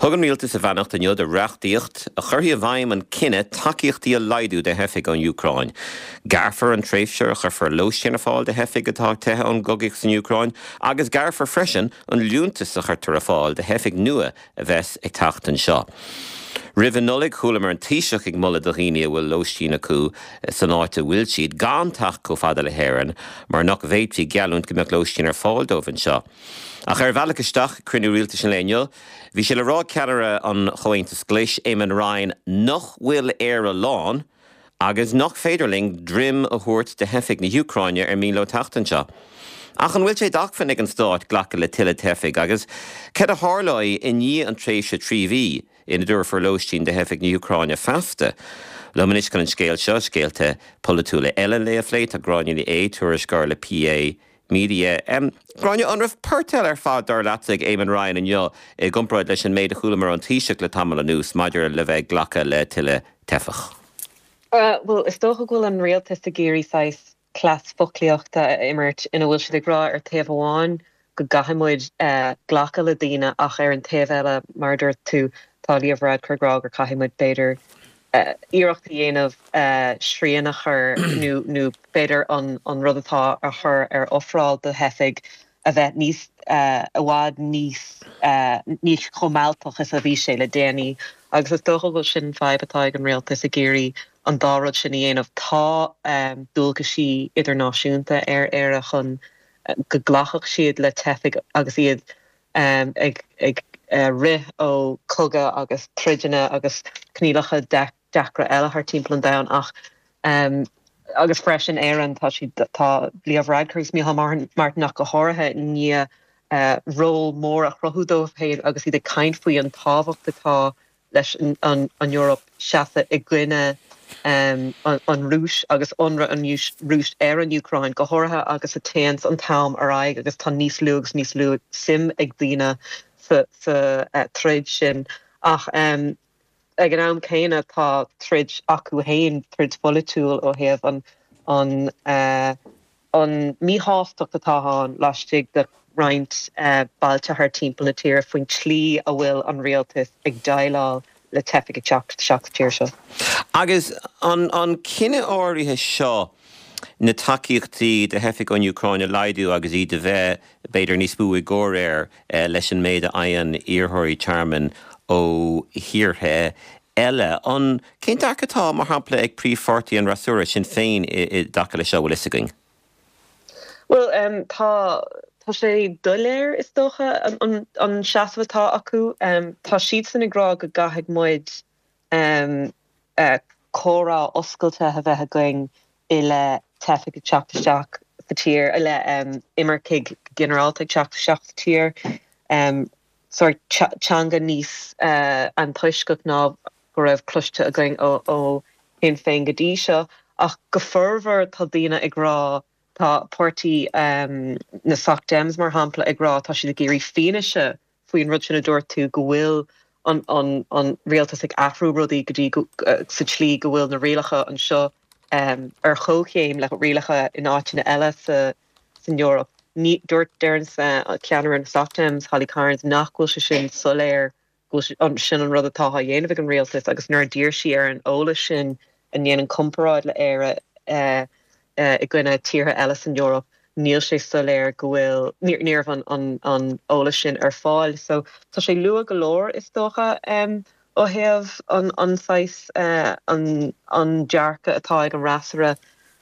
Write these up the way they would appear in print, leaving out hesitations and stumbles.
Thug an Rialtas a bheannacht inniu do reachtaíocht a chuirfidh i bhfeidhm an cinneadh tacaíochtaí a laghdú do theifigh ón Úcráin. Gearrfar an tréimhse a chuirfear lóistín ar fáil do theifigh atá ag teitheadh ón gcogaíocht san Úcráin agus gearrfar freisin an liúntas a chuirtear ar fáil do theifigh nua a bheas ag teacht anseo. Roimh an Nollaig, chualamar an Taoiseach ag moladh do dhaoine a bhfuil lóistín acu san áit a bhfuil siad, gan teacht chomh fada le hÉirinn mar nach bhféadfaí geallúint go mbeadh lóistín ar fáil dóibh anseo. Ach ar a bhealach isteach ag cruinniú rialtais an lae inniu, bhí sé le rá ag ceannaire an Chomhaontais Ghlais, Eamon Ryan, nach bhfuil Éire lán agus nach féidir linn droim a thabhairt do theifigh na hÚcráine ar mian leo teacht anseo. Ach an bhfuil sé d'acmhainn ag an stát glacadh le tuilleadh teifigh agus cad a tharlóidh i ndiaidh an tréimhse 3 mhí ina dtabharfar lóistín do theifigh na hÚcráine feasta? Liom anois chun an scéal seo, scéalta polaitiúla eile an lae a phlé, tá Gráinne Ní Aodha, tuairisceoir le PA Media. Gráinne, an raibh port eile ar fad, dar leatsa, ag Eamon Ryan inniu i gcomparáid leis an méid a chualamar ón Taoiseach le tamall anuas maidir le bheith ag glacadh le tuilleadh teifeach? Bhuel, is dócha go bhfuil an rialtas ag iarraidh saghas cleas foclaíochta a imirt ina bhfuil siad ag rá ar taobh amháin go gcaithfidh muid glacadh le daoine ach ar an taobh eile, mar a dúirt tú, tá Leo Varadkar ag rá gur caithfidh muid b'fhéidir iarracht a dhéanamh srian a chur nó nó b'fhéidir an an rud atá á chur ar ofráil do theifigh a bheith níos i bhfad níos níos chomh mealltach is a bhí sé le déanaí. Agus is dócha go bhfuil sin an fadhb atá ag an rialtas ag iarraidh an dá rud sin a dhéanamh. Tá dualgaisí idirnáisiúnta ar Éire chun go nglacfadh siad le teifigh agus iad ag rith ó chogadh agus troideanna agus coinníollacha deacra eile thar timpeall an domhain ach agus freisin Éireann tá siad tá Leo Varadkar agus Micheál Martin ach go háirithe i ndiaidh ról mór a chruthú dóibh féin agus iad ag caint faoi an tábhacht atá leis an Eoraip seasamh i gcoinne an Rúis agus ionradh an Rúis ar an Úcráin, go háirithe agus a téanns an t-am ar aghaidh agus tá níos lú agus níos lú suim ag daoine sa troid sin. Ach ag an am céanna tá troid acu féin, troid pholaitiúil ó thaobh an an míshástacht atá ann laistigh de roinnt bailte thar timpeall na tíre faoin tslí a bhfuil an rialtas ag déileáil le teifigh ag teacht isteach sa tír seo. Agus an cinneadh áirithe seo na tacaíochtaí do theifigh ón Úcráin a laghdú agus iad a bheith, b'fhéidir, níos mó i gcomhréir leis an méid a fhaigheann iarrthóirí tearmainn ó thíortha eile. An, cén dearcadh atá, mar shampla, ag príomhpháirtí an fhreasúra, Sinn Féin, i dtaca leis seo, bhfuil fhios againn? Bhuel, tá, tá sé doiléir, is dócha, an, an seasamh atá acu. Tá siadsan ag rá go gcaithfidh muid comhrá oscailte a bheith againn i leith teifigh ag teacht isteach sa tír, i leith imircigh go ginearálta ag teacht isteach sa tír. Sórt teanga níos antoisceach ná go raibh cloiste againn ó Shinn Féin go dtí seo. Ach go formhór tá daoine ag rá, tá páirtí na Soc Dems mar shampla ag rá, tá siad ag iarraidh fianaise faoin rud sin a dúirt tú, go bhfuil an rialtas ag athrú rudaí go dtí sa tslí go bhfuil na rialacha anseo ar chomhchéim le rialacha in áiteanna eile sa san Eoraip. Ní, dúirt, deireann ceannaire na Soc Dems, Holly Cairns, nach bhfuil sé sin soiléir go bhfuil sin an rud atá á dhéanamh ag an rialtas agus nuair a d'iarr sí ar an eolas sin a ndéanann comparáid le Éire i gcoinne tíortha eile san Eoraip, níl sé soiléir go bhfuil, ní raibh an eolas sin ar fáil. So tá sé luath go leor is dócha ó thaobh an saghas, an dearcadh atá ag an fhreasúra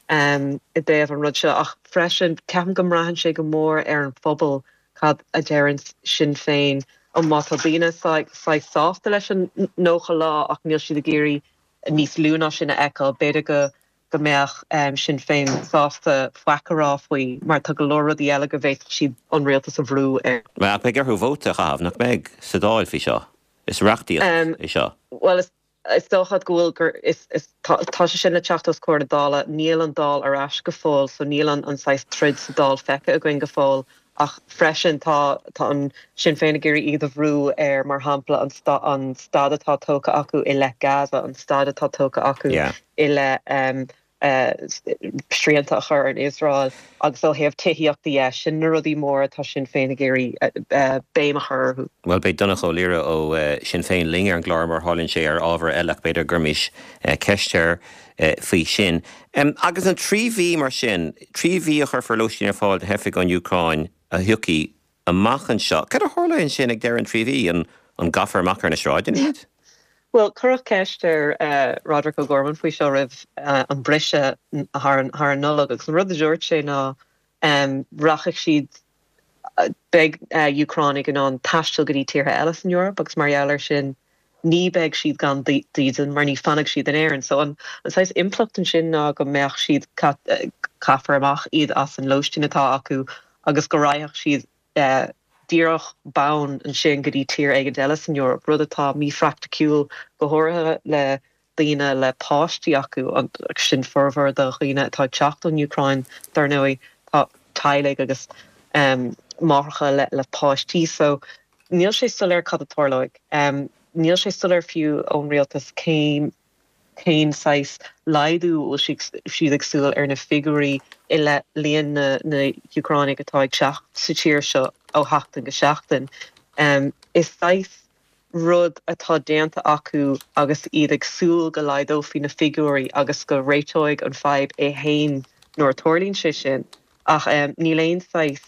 i dtaobh an rud seo ach freisin ceapaim go mbraitheann sé go mór ar an phobal cad a deireann Sinn Féin. Má tá daoine saghas sásta leis an 90 lá ach níl siad ag iarraidh níos lú ná sin a fheiceáil, b'fhéidir go go mbeadh Sinn Féin sásta faic a rá faoi mar tá go leor rudaí eile go bhféadfadh siad an rialtas a bhrú air. Ach beidh orthu vóta a chaitheamh, nach mbeidh, sa Dáil faoi seo? Is reachtaíocht é seo. Bhuel, is dócha go bhfuil gur is is tá tá sé sin le teacht os comhair na Dála. Níl an Dáil ar ais go fóill so níl an an saghas troid sa Dáil feicthe againn go fóill ach freisin tá tá an Sinn Féin ag iarraidh iad a bhrú ar mar shampla an sta an stad atá tógtha acu i leith Gaza, an stad atá tógtha acu Yeah. i leith um, srianta a chur ar an Iosrael agus ó thaobh tithíochta dhe, sin na rudaí móra atá Sinn Féin ag iarraidh béim a chur orthu. Bhuel, beidh Donnchadh Ó Laoghaire ó Sinn Féin linn ar an gclár mar a tharlaíonn sé ar ábhar eile ach b'fhéidir go gcuirfimis ceist air faoi sin. Agus an 3 mhí mar sin, 3 mhí a chuirfear lóistín ar fáil do theifigh ón Úcráin a thiocfaidh amach anseo. Cad a tharlóidh ansin ag deireadh an 3 mhí? An gcaithfear amach ar na sráideanna iad? Bhuel, cuireadh ceist ar Roderic O'Gorman faoi seo roimh an briseadh thar an Nollaig agus an rud a dúirt sé ná rachaidh siad, beidh Úcránaigh in ann taisteal go dtí tíortha eile san Eoraip agus mar gheall air sin ní beidh siad gan dídean mar ní fanfaidh siad in Éirinn. So an saghas impleacht ansin ná go mbeadh siad, caithfear amach iad as an lóistín atá acu agus go raghadh siad díreach bonn ansin go dtí tír éigint eile san Eoraip, rud atá míphraiticiúil go háirithe le daoine le páistí acu, agus sin formhór de dhaoine atá ag teacht ón Úcráin dar ndóigh, tá teaghlaigh agus máithreacha le páistí. So níl sé soiléir cad a tarlóidh. Níl sé soiléir fiú ón rialtas cén cén saghas laghdú a bhfuil siad ag súil ar na figiúirí i leith líon na n-Úcránaigh atá ag teacht sa tír seo ó sheachtain go seachtain. Is saghas rud atá déanta acu agus iad ag súil go laghdófaí na figiúirí agus go réiteoidh an fadhb é fhéin nuair a tarlaíonn sé sin ach níl aon saghas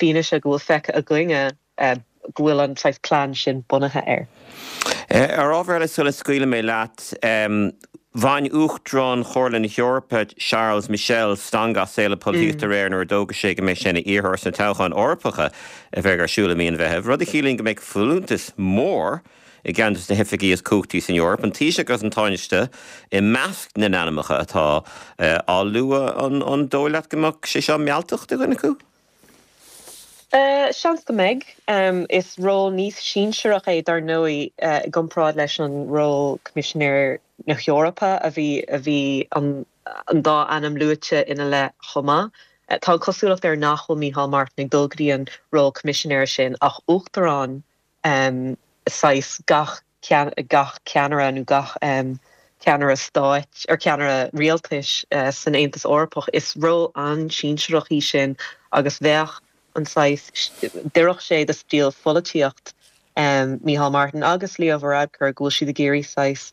fianaise go bhfuil feicthe againne go bhfuil an saghas plean sin bunaithe air. Ar ábhar eile sula scaoilfidh mé leat, bhain Uachtarán Chomhairle na hEorpa, Charles Michel, stangadh as saol na polaitíochta aréir nuair a d'fhógair sé go mbeidh sé ina iarrthóir sna toghcháin Eorpacha a bheidh ar siúl i mí an Mheithimh, rud a chiallaíonn go mbeidh folúntas mór i gceann de na hoifigí is cumhachtaí san Eoraip, an Taoiseach agus an Tánaiste i measc na n-ainmneacha atá á lua. An dóigh leat go mbeadh sé seo mealltach do dhuine acu? Seans go mbeidh. Is ról níos sinsearach é dar ndóigh i gcomparáid leis an ról Coimisinéir na hEorpa a bhí a bhí an dá ainm luaite ina leith chomh maith. Tá an chosúlacht air nach bhfuil Micheál Martin ag dul go dtí an ról Coimisinéara sin ach Uachtarán saghas gach gach ceannaire nó gach ceannaire stáit or ceannaire rialtais san Aontas Eorpach. Is ról an-sinsearach í sin agus bheadh an saghas, d'oirfeadh sé do stíl pholaitíocht Micheál Martin agus Leo Varadkar go bhfuil siad ag iarraidh saghas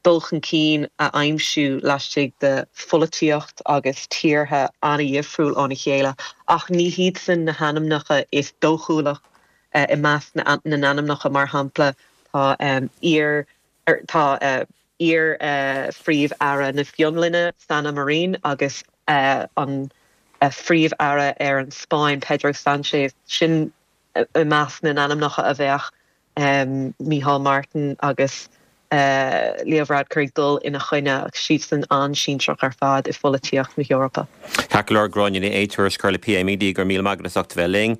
dul chun cinn a aimsiú laistigh de pholaitíocht agus tíortha an-dhifriúil óna chéile ach ní hiadsan na hainmneacha is dóchúlach i measc na n-ainmneacha, mar shampla tá iar tá iar-Phríomh-Aire na Fionlainne, Sanna Marin agus an Phríomh-Aire ar an Spáinn, Pedro Sánchez, sin i measc na n-ainmneacha a bheadh Micheál Martin agus Leo Varadkar ag dul ina choinne, agus siadsan an-sinsearach ar fad i pholaitíocht na hEorpa. Ceart go leor, Gráinne Ní Aodha, tuairisceoir le PA Media, go raibh míle maith agat as ucht a bheith linn.